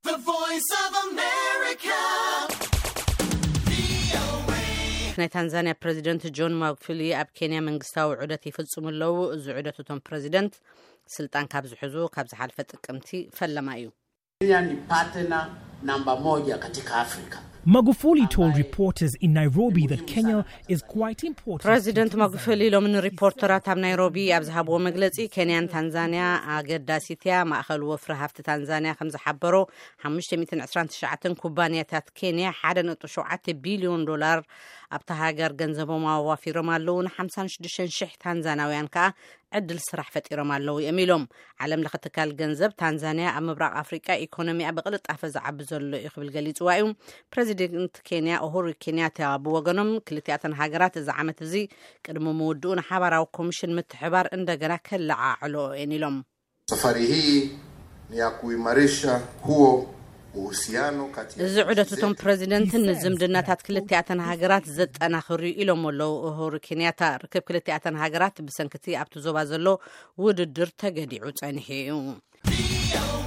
The Voice of America. ናይ ታንዛንያ ፕሬዚደንት ጆን ማጉፉሊ ኣብ ኬንያ መንግስታዊ ዑደት ይፍጽሙ ኣለዉ። እዚ ዑደት እቶም ፕሬዚደንት ስልጣን ካብ ዝሕዙ ካብ ዝሓልፈ ጥቅምቲ ፈለማ እዩ። Kenya ni partner namba moja katika Afrika. Magufuli told reporters in Nairobi that Kenya is quite important. ፕሬዚደንት ማጉፉሊ ሎሚ ንሪፖርተራት ኣብ ናይሮቢ ኣብ ዝሃብዎ መግለጺ፣ ኬንያን ታንዛንያ ኣገዳሲት እያ። ማእኸል ወፍሪ ሃፍቲ ታንዛንያ ከም ዝሓበሮ፣ ሓሙሽተ ሚእትን ዕስራን ትሽዓተን ኩባንያታት ኬንያ ሓደ ነጥቢ ሸውዓተ ቢልዮን ዶላር ኣብታ ሃገር ገንዘቦም ኣዋፊሮም ኣለዉ። ን ሓምሳን ሽዱሽተን ሽሕ ታንዛናውያን ከኣ ዕድል ስራሕ ፈጢሮም ኣለዉ እዮም ኢሎም። ዓለም ለኸ ትካል ገንዘብ፣ ታንዛንያ ኣብ ምብራቕ ኣፍሪቃ ኢኮኖሚኣ ብቕልጣፈ ዝዓቢ ዘሎ እዩ ክብል ገሊጽዋ እዩ። ፕሬዚደንት ኬንያ ኡሁሩ ኬንያታ ብወገኖም፣ ክልቲኣተን ሃገራት እዚ ዓመት እዚ ቅድሚ ምውድኡ ንሓባራዊ ኮሚሽን ምትሕባር እንደገና ከለዓዕሎ እየን ኢሎም። Safari hii ni ya kuimarisha huo uhusiano kati ya እዚ ዑደት እቶም ፕሬዚደንትን ንዝምድናታት ክልቲኣተን ሃገራት ዘጠናኽር እዩ ኢሎም ኣለዉ ኡሁሩ ኬንያታ። ርክብ ክልቲኣተን ሃገራት ብሰንክቲ ኣብቲ ዞባ ዘሎ ውድድር ተገዲዑ ጸኒሑ እዩ።